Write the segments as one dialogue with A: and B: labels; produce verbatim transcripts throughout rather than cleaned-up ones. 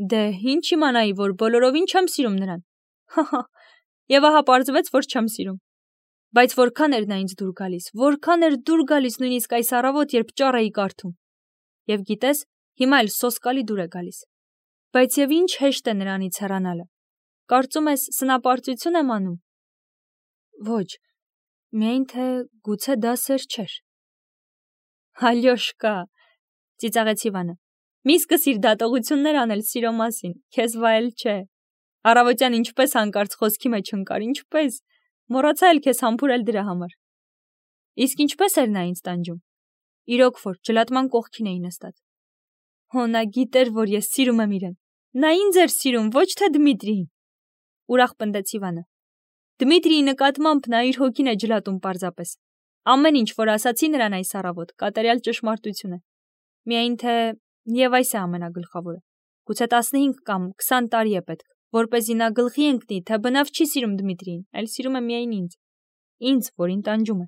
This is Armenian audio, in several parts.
A: Դե, ինչ իմանայի, որ բոլորովին չեմ սիրում նրան։ Հահա, եւ ահա պարզվեց, որ չեմ սիրում։ Բայց որքան էր նա ինձ դուր գալիս, որքան էր դուր գալիս նույնիսկ այս առավոտ, երբ ճառ էի կարդում։ Եվ գիտես, հիմա էլ սոսկալի դուր է գալիս։ Բայց եւ ինչ հեշտ է նրանից հեռանալը։ Կարծում ես սնապարծություն եմ անում։ Ոչ, միայն թե գուցե դա սեր չէր։ Ալյոշկա, ծիծաղեց Իվանը։ Մի սկսիր դատողություններ անել սիրո մասին, քեզ վայել չէ։ Առավոտյան ինչպես հանկարծ խոսքի մեջ ընկար, ինչպես, մոռացա էլ քեզ համբուրել դրա համար։ Իսկ ինչպես էր նա ինձ տանջում։ Իրոք որ ջլատման կողքին էի նստած։ Հո նա գիտեր, որ ես սիրում եմ իրեն։ Նա ինձ էր սիրում, ոչ թե Դմիտրիին։ Ուրախ պնդեց Իվանը։ Դմիտրիի նկատմամբ նա իր հոգին է ջլատում պարզապես։ Ամեն ինչ, որ ասացի նրան այս առավոտ, կատարյալ ճշմարտություն է։ Միայն թե եւ այս է ամենագլխավորը։ Գուցե տասնհինգ կամ քսան տարի է պետք, որպեսզի նա գլխի ընկնի, թե բնավ չի սիրում Դմիտրիին, այլ սիրում է միայն ինձ։ Ինձ, որին տանջում է։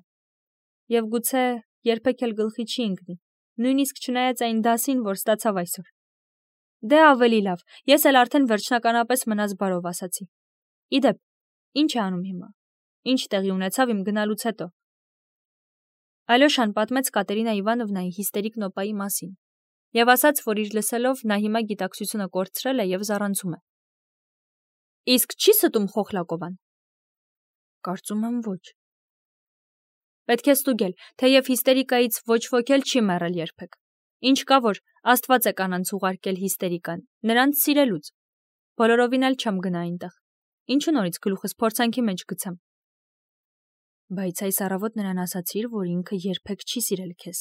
A: Եվ գուցե երբեք էլ գլխի չի ընկնի, նույնիսկ չնայած այն դասին, որ ստացավ այսօր։ Դե ավելի լավ, ես էլ արդեն վերջնականապես մնաց բարով ասացի։ Իդեպ, ինչ է անում հիմա։ Ինչ տեղի ունեցավ իմ գնալուց հետո։ Ալյոշան պատմեց Կատերինա Իվանովնայի հիստերիկ նոպայի մասին եւ ասաց, որ իր լսելով նա հիմա գիտակցությունը կորցրել է եւ զառանցում է։ Իսկ չի ստում Խոխլակովան։ Կարծում եմ ոչ։ Պետք է ստուգել, թեև հիստերիկայից ոչ ոք էլ չի մեռել երբեք։ Ինչ կա, որ Աստված է կանանց ուղարկել հիստերիկան, նրանց սիրելուց։ Բոլորովին էլ չեմ գնա այնտեղ։ Ինչու նորից գլուխս փորձանքի մեջ գցեմ։ Բայց այս առավոտ նրան ասացիր, որ ինքը երբեք չի սիրել քեզ։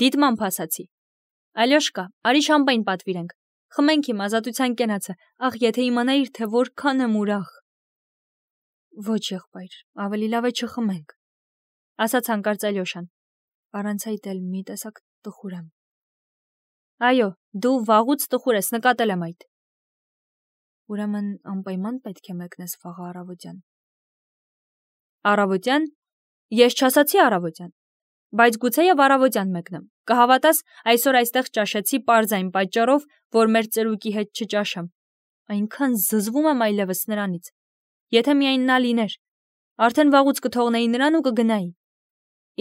A: Դիտմամբ ասացի։ Ալյոշկա, արի շամպայն պատվիրենք։ Խմենք իմ ազատության կենացը, ախ, եթե իմանայիր, թե որքան եմ ուրախ։ Ոչ, եղբայր, ավելի լավ է չխմենք, ասաց հանկարծ Ալյոշան։ Առանց այդ էլ մի տեսակ տխուր եմ։ Այո, դու վաղուց տխուր ես, նկատել եմ այդ։ Ուրեմն անպայման պետք է մեկնես վաղը առավոտյան։ Առավոտյան։ Ես չասացի առավոտյան, բայց գուցե եւ առավոտյան մեկնեմ։ Կհավատաս, այսօր այստեղ ճաշեցի պարզ այն պատճառով, որ մեր ծերուկի հետ չճաշեմ։ Այնքան զզվում եմ այլևս նրանից։ Եթե միայն նա լիներ, արդեն վաղուց կթողնեի նրան ու կգնայի։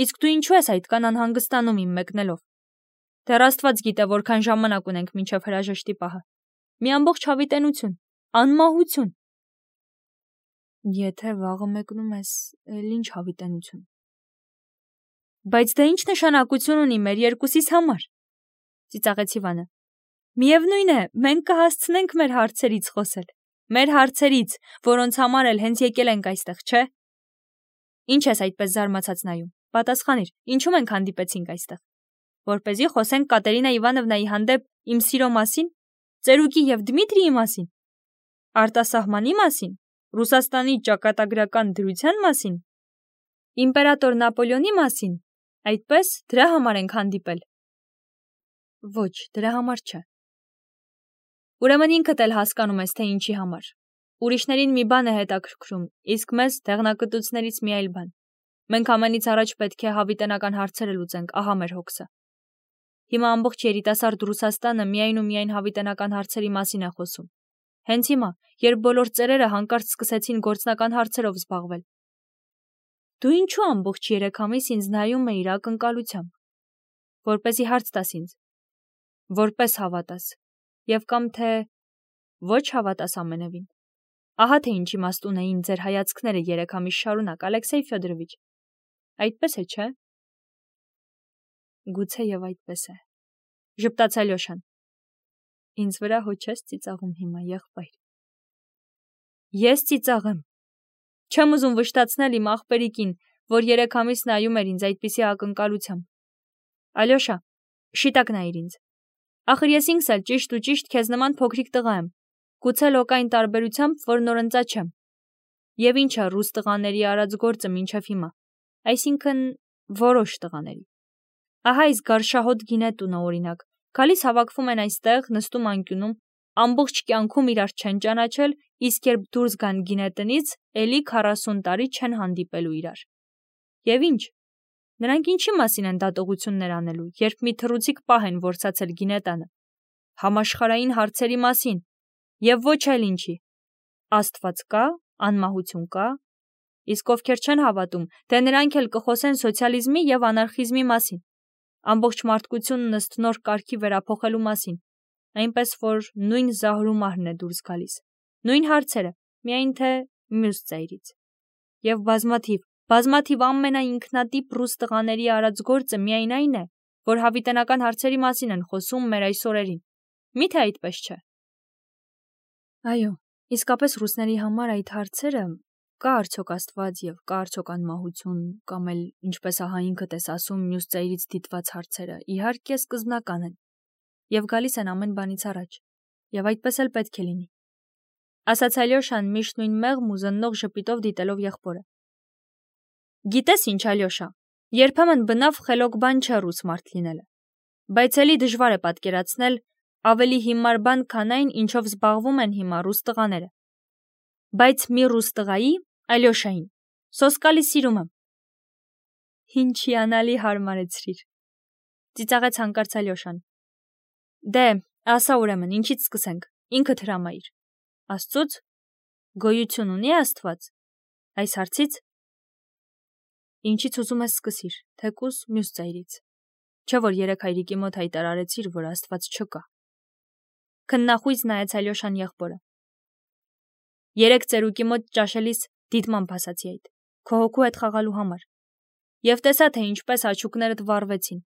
A: Իսկ դու ինչու ես այդքան անհանգստանում իմ մեկնելով։ Դեռ Աստված գիտե, որքան ժամանակ ունենք մինչև հրաժեշտի պահը։ Մի ամբողջ հավիտենություն, անմահություն։ Եթե վաղը մեկնում ես, էլ ինչ հավիտենություն։ Բայց դա ինչ նշանակություն ունի մեր երկուսիս համար։ Ծիծաղեց Իվանը։ Միևնույն է, մենք կհասցնենք մեր հարցերից խոսել։ Մեր հարցերից, որոնց համար էլ հենց եկել ենք այստեղ, չէ։ Ինչ ես այդպես զարմացած նայում։ Պատասխանիր, ինչու մենք հանդիպեցինք այստեղ։ Որպեսզի խոսենք Կատերինա Իվանովնայի հանդեպ իմ սիրո մասին, ծերուկի եւ Դմիտրիի մասին, արտասահմանի մասին, Ռուսաստանի ճակատագրական դրության մասին, իմպերատոր Նապոլեոնի մասին, այդպես դրա համար ենք հանդիպել։ Ոչ, դրա համար չէ։ Ուրեմն ինքդ էլ հասկանում ես, թե ինչի համար։ Ուրիշներին մի բան է հետաքրքրում, իսկ մեզ դեղնակտուցներից մի այլ բան։ Մենք ամենից առաջ պետք է հավիտենական հարցերը լուծենք, ահա մեր հոգսը։ Հիմա ամբողջ երիտասարդ Ռուսաստանը միայն ու միայն հավիտենական հարցերի մասին է խոսում։ Հենց հիմա, երբ բոլոր ծերերը հանկարծ սկսեցին գործնական հարցերով զբաղվել։ Դու ինչու ամբողջ երեք ամիս ինձ նայում էիր ակնկալությամբ, որպեսզի հարց տաս ինձ, որպես հավատաս, եւ կամ թե ոչ հավատաս ամենևին։ Ահա թե ինչ իմաստ ունեին ձեր հայացքները երեք ամիս շարունակ, Ալեքսեյ Ֆյոդորովիչ։ Այդպես է, չէ։ Գուցե եւ այդպես է։ Ժպտաց Ալյոշան։ Ինձ վրա հո չես ծիծաղում հիմա, եղբայր։ Ես ծիծաղեմ։ Չեմ ուզում վշտացնել իմ աղբերիկին, որ երեք ամիս նայում էր ինձ այդպիսի ակնկալությամբ։ Ալյոշա, շիտակ նայիր ինձ։ Ախր ես ինքս էլ ճիշտ ու ճիշտ քեզ նման փոքրիկ տղա եմ, գուցե լոկային տարբերությամբ, որ նորընծա չեմ։ Եվ ինչ է ռուս տղաների արած գործը մինչև հիմա, այսինքն որոշ տղաների։ Ահա այս գարշահոտ գինետունը օրինակ, գալիս հավաքվում են այստեղ, նստում անկյունում, ամբողջ կյանքում իրար չեն ճանաչել, իսկ երբ դուրս գան գինետնից, էլի քառասուն տարի չեն հանդիպելու իրար։ Եվ ինչ։ Նրանք ինչի մասին են դատողություններ անելու, երբ մի թռուցիկ պահ են որսացել գինետանը։ համաշխարհային հարցերի մասին, եւ ոչ այլ ինչի։ Աստված կա, անմահություն կա, իսկ ովքեր չեն հավատում, թե նրանք էլ կխոսեն սոցիալիզմի եւ անարխիզմի մասին, ամբողջ մարդկությունն ըստ նոր կարգի վերափոխելու մասին, այնպես որ նույն զահրումարն է դուրս գալիս, նույն հարցերը, միայն թե մյուս ծայրից։ Եվ բազմաթիվ, բազմաթիվ ամենաինքնատիպ ռուս տղաների արած գործը միայն այն է, որ հավիտենական հարցերի մասին են խոսում մեր այս օրերին։ Միթե այդպես չէ։ Այո, իսկապես ռուսների համար այդ հարցերը կա արդյոք Աստված եւ կա արդյոք անմահություն կամ էլ ինչպես ահա ինքդ ես ասում մյուս ծայրից դիտված հարցերը իհարկե սկզբնական են եւ գալիս են ամեն բանից առաջ եւ այդպես էլ պետք է լինի, ասաց Ալյոշան միշտ նույն մեղմ ու զննող ժպիտով դիտելով եղբորը։ Գիտես ինչ, Ալյոշա, երբեմն բնավ խելոք բան չէ ռուս մարդ լինելը, բայց էլի դժվար է պատկերացնել ավելի հիմար բան, քան այն, ինչով զբաղվում են հիմա ռուս տղաները։ Բայց մի ռուս տղայի, Ալյոշային, սոսկալի սիրում եմ։ Ինչ հիանալի հարմարեցրիր, ծիծաղեց հանկարծ Ալյոշան։ Դե, ասա ուրեմն, ինչից սկսենք, ինքդ հրամայիր։ Աստծուց, գոյություն ունի Աստված, այս հարցից։ Ինչից ուզում ես սկսիր, թեկուզ մյուս ծայրից, չէ որ երեք հայրիկի մոտ հայտարարեցիր, որ Աստված չկա։ Քննախույզ նայեց Ալյոշան եղբորը։ Երեք ծերուկի մոտ ճաշելիս դիտմամբ ասացի այդ, քո հոգու հետ խաղալու համար, եւ տեսա, թե ինչպես աչուկներդ վառվեցին։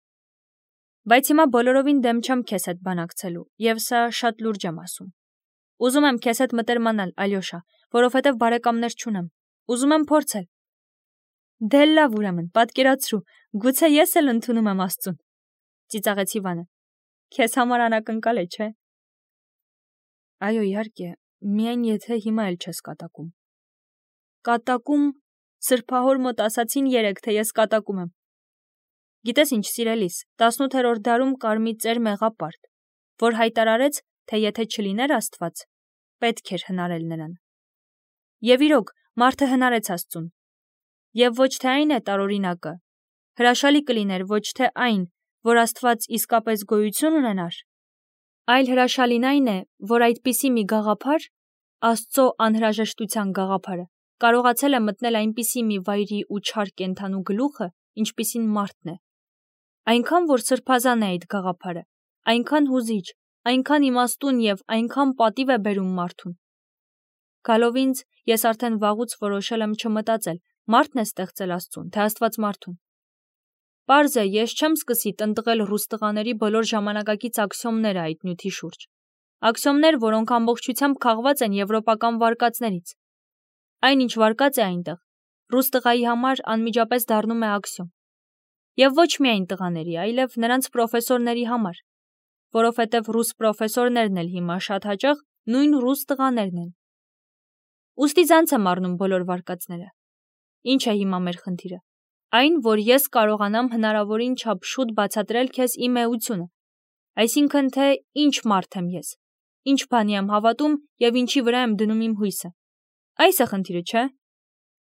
A: Բայց հիմա բոլորովին դեմ չեմ քեզ հետ բանակցելու, եւ սա շատ լուրջ եմ ասում։ Ուզում եմ քեզ հետ մտերմանալ, Ալյոշա, որովհետեւ բարեկամներ չունեմ, ուզում եմ փորձել։ Դե լավ ուրեմն, պատկերացրու, գուցե ես էլ ընդունում եմ Աստծուն, ծիծաղեց Իվանը։ Քեզ համար անակնկալ է, չէ՞։ Այո, իհարկե, միայն եթե հիմա էլ չես կատակում։ Կատակում, սրբահոր մոտ ասացին երեք, թե ես կատակում եմ։ Գիտես ինչ, սիրելիս, տասնութերորդ դարում կար մի ծեր մեղապարտ, որ հայտարարեց, թե եթե չլիներ Աստված, պետք էր հնարել նրան։ Եվ իրոք, մարդը հնարեց Աստծուն։ Եվ ոչ թե այն է տարօրինակը, հրաշալի կլիներ ոչ թե այն, որ Աստված իսկապես գոյություն ունենար, այլ հրաշալին այն է, որ այդպիսի մի գաղափար, Աստծո անհրաժեշտության գաղափարը, կարողացել է մտնել այնպիսի մի վայրի ու չար կենդանու գլուխը, ինչպիսին մարդն է։ Այնքան որ սրբազան է այդ գաղափարը, այնքան հուզիչ, այնքան իմաստուն եւ այնքան պատիվ է բերում մարդուն։ Գալով ինձ, ես արդեն վաղուց որոշել եմ չմտածել, մարդն է ստեղծել Աստծուն, թե Աստված մարդուն։ Պարզ է, ես չեմ սկսի տնտղել ռուս տղաների բոլոր ժամանակակից աքսիոմները այդ նյութի շուրջ։ Աքսիոմներ, որոնք ամբողջությամբ քաղված են եվրոպական վարկածներից։ Այն ինչ վարկած է այնտեղ, ռուս տղայի համար անմիջապես դառնում է աքսիոմ։ Եվ ոչ միայն տղաների, այլև նրանց պրոֆեսորների համար, որովհետև ռուս պրոֆեսորներն էլ հիմա շատ հաճախ նույն ռուս տղաներն են։ Ուստի ցանց եմ առնում բոլոր վարկածները։ Ինչ է հիմա մեր խնդիրը։ Այն, որ ես կարողանամ հնարավորին չափ շուտ բացատրել քեզ իմ էությունը, այսինքն թե ինչ մարդ եմ ես, ինչ բանի եմ հավատում եւ ինչի վրա եմ դնում իմ հույսը։ Այս է խնդիրը, չէ՞։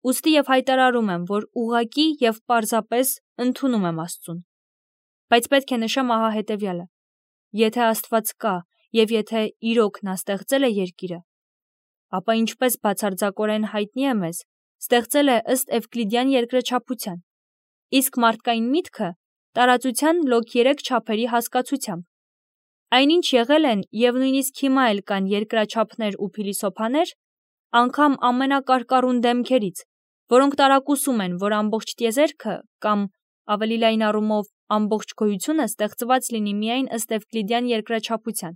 A: Ուստի եւ հայտարարում եմ, որ ուղղակի եւ պարզապես ընդունում եմ Աստծուն։ Բայց պետք է նշեմ ահա հետեւյալը. եթե Աստված կա եւ եթե իրոք նա ստեղծել է երկիրը, ապա ինչպես բացարձակորեն հայտնի է մեզ, ստեղծել է ըստ Էվկլիդյան երկրաչափության, իսկ մարդկային միտքը տարածության լոկ երեք չափերի հասկացությամբ։ Այնինչ եղել են եւ նույնիսկ հիմա էլ կան երկրաչափներ ու փիլիսոփաներ, անգամ ամենակարկառուն դեմքերից, որոնք տարակուսում են, որ ամբողջ տիեզերքը կամ ավելի լայն առումով ամբողջ գոյությունը ստեղծված լինի միայն ըստ Էվկլիդյան երկրաչափության։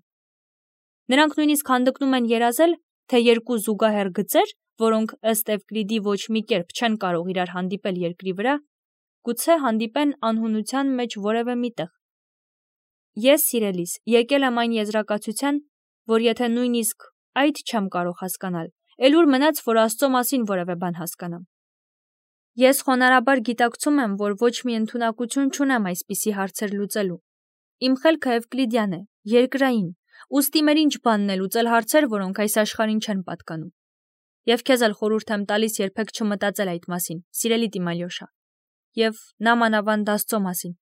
A: Նրանք նույնիսկ հանդգնում են երազել, թե երկու զուգահեռ գծեր, որոնք ըստ Էվկլիդի ոչ մի կերպ չեն կարող իրար հանդիպել երկրի վրա, գուցե հանդիպեն անհունության մեջ որևէ միտեղ։ Ես, սիրելիս, եկել եմ այն եզրակացության, որ եթե նույնիսկ այդ չեմ կարող հասկանալ, էլ ուր մնաց, որ Աստծո մասին որևէ բան հասկանամ։ Ես խոնարհաբար գիտակցում եմ, որ ոչ մի ընդունակություն չունեմ այսպիսի հարցեր լուծելու։ Իմ խելքը Էվկլիդյան է, երկրային, ուստի մեր ինչ բանն է լուծել հարցեր, որոնք այս աշխարհին չեն պատկանում։ Եվ քեզ էլ խորհուրդ եմ տալիս երբեք չմտածել այդ մասին, սիրելի Տիմալյոշա։ Եվ նա մանավանդ Աստծո մասին։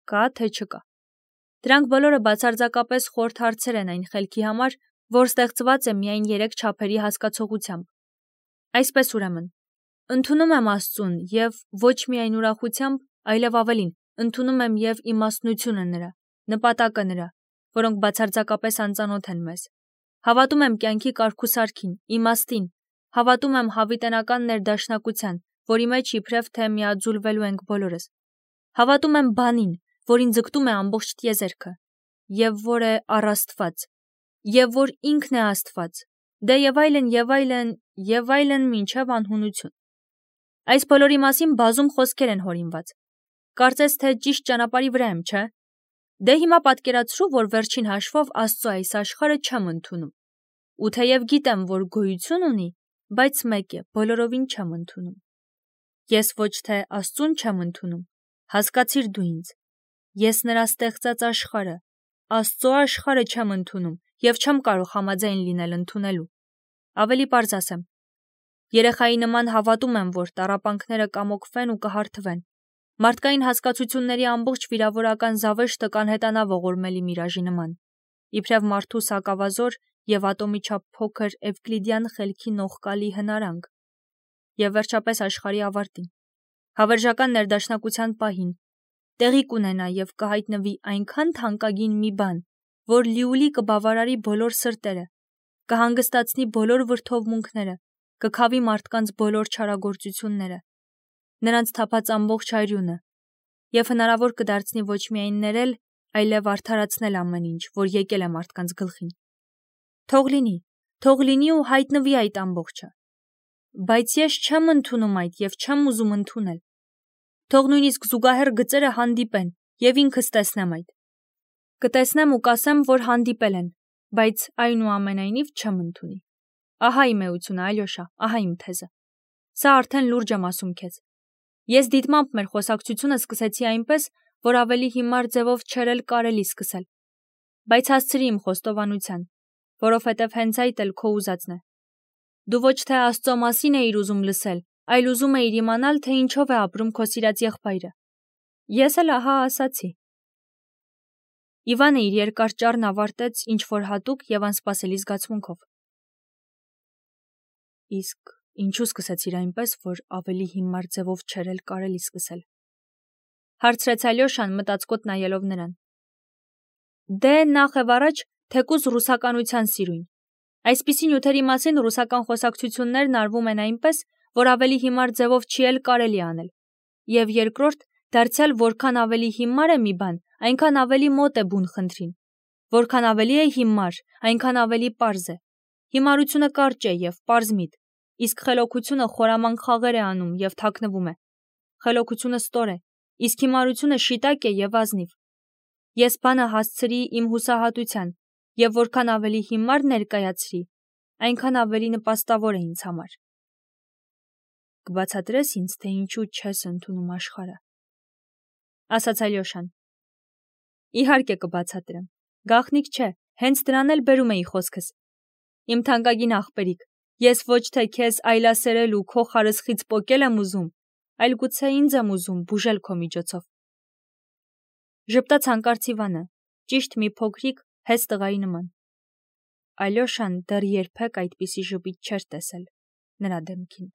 A: Կա թե չկա։ Դրանք բոլորը բացարձակապես խորթ հարցեր են այն խելքի համար, որ ստեղծված է միայն երեք չափերի հասկացողությամբ։ Այսպես ուրեմն, ընդունում եմ Աստծուն և ոչ միայն ուրախությամբ, այլև ավելին, ընդունում եմ և իմաստնությունը նրա, նպատակը նրա, որոնք բացարձակապես անծանոթ են մեզ։ Հավատում եմ կյանքի կարգուսարքին, իմաստին, հավատում եմ հավիտենական ներդաշնակության, որի մեջ իբրև թե միաձուլվելու ենք բոլորս։ Հավատում եմ բանին, որին ձգտում է ամբողջ տիեզերքը, և որ է առ Աստված, և որ ինքն է Աստված, դե և այլն, և այլն, և այլն մինչև անհունություն։ Այս բոլորի մասին բազում խոսքեր են հորինված։ Կարծես թե ճիշտ ճանապարհի վրա եմ, չէ՞։ Դե հիմա պատկերացրու, որ վերջին հաշվով Աստծո այս աշխարհը չեմ ընդունում։ Ու թեև գիտեմ, որ գոյություն ունի, բայց մեկ է, բոլորովին չեմ ընդունում։ Ես ոչ թե Աստծուն չեմ ընդունում, հասկացիր դու ինձ։ Ես նրա ստեղծած աշխարհը, Աստծո աշխարհը չեմ ընդունում և չեմ կարող համաձայն լինել ընդունելու։ Ավելի պարզ ասեմ, երեխայի նման հավատում եմ, որ տառապանքները կամոկվեն ու կհարթվեն։ Մարդկային հասկացությունների ամբողջ վիրավորական զավեշտը կանհետանա ողորմելի միրաժի նման, իբրև մարդու սակավազոր և ատոմի չափ փոքր էվկլիդյան խելքի նողկալի հնարանք, և վերջապես աշխարհի ավարտին, հավերժական ներդաշնակության պահին, տեղի կունենա և կհայտնվի այնքան թանկագին մի բան, որ լիուլի կբավարարի բոլոր սրտերը, կհանգստացնի բոլոր վրդովմունքները, կքավի մարդկանց բոլոր չարագործությունները, նրանց թափած ամբողջ արյունը, և հնարավոր կդարձնի ոչ միայն ներել, այլև արդարացնել ամեն ինչ, որ եկել է մարդկանց գլխին։ Թող լինի, թող լինի ու հայտնվի այդ ամբողջը։ Բայց ես չեմ ընդունում այդ և չեմ ուզում ընդունել։ Թող նույնիսկ զուգահեռ գծերը հանդիպեն, և ինքս տեսնեմ այդ։ Կտեսնեմ ու կասեմ, որ հանդիպել են, բայց այնուամենայնիվ չեմ ընդունի։ Ահա իմ էությունը, Ալյոշա, ահա իմ թեզը։ Սա արդեն լուրջ եմ ասում քեզ։ Ես դիտմամբ մեր խոսակցությունը սկսեցի այնպես, որ ավելի հիմար ձևով չէր էլ կարելի սկսել։ Բայց հասցրի իմ խոստովանության, որովհետև հենց այդ էլ քո ուզածն է։ Դու ոչ թե Աստծո մասին էիր ուզում լսել, այլ ուզում էիր իմանալ, թե ինչով է ապրում քո սիրած եղբայրը։ Ես էլ ահա ասացի։ Իվանը իր երկար ճառն ավարտեց ինչ-որ հատուկ և անսպասելի զգացմունքով։ Իսկ ինչու սկսեցիր այնպես, որ ավելի հիմար ձևով չէր էլ կարելի սկսել։ Հարցրեց Ալյոշան մտածկոտ նայելով նրան։ Դե նախ եւ առաջ թեկուզ ռուսականության սիրույն։ Այսպիսի նյութերի մասին ռուսական խոսակցություններն արվում են այնպես, որ ավելի հիմար ձևով չի էլ կարելի անել։ Եվ երկրորդ, դարձյալ որքան ավելի հիմար է մի բան, այնքան ավելի մոտ է բուն խնդրին։ Որքան ավելի է հիմար, այնքան ավելի պարզ է։ Հիմարությունը կարճ է և պարզ միտ, իսկ խելոքությունը խորամանկ խաղեր է անում և թաքնվում է։ Խելոքությունը ստոր է, իսկ հիմարությունը շիտակ է և ազնիվ։ Ես բանը հասցրի իմ հուսահատության, և որքան ավելի հիմար ներկայացրի, այնքան ավելի նպաստավոր է ինձ համար։ Կբացատրես ինձ, թե ինչու չես ընդունում աշխարհը, ասաց Ալյոշան։ Իհարկե կբացատրեմ, գաղտնիք չէ, հենց դրան էլ բերում էի խոսքս։ Իմ թանկագին աղբերիկ, ես ոչ թե քեզ այլասերել ու քո խարսխից պոկել եմ ուզում, այլ գուցե ինձ եմ ուզում բուժել քո միջոցով։ Ժպտաց հանկարծ Իվանը, ճիշտ մի փոքրիկ հեզ տղայի նման։ Ալյոշան դեռ երբեք այդպիսի ժպիտ չէր տեսել նրա դեմքին։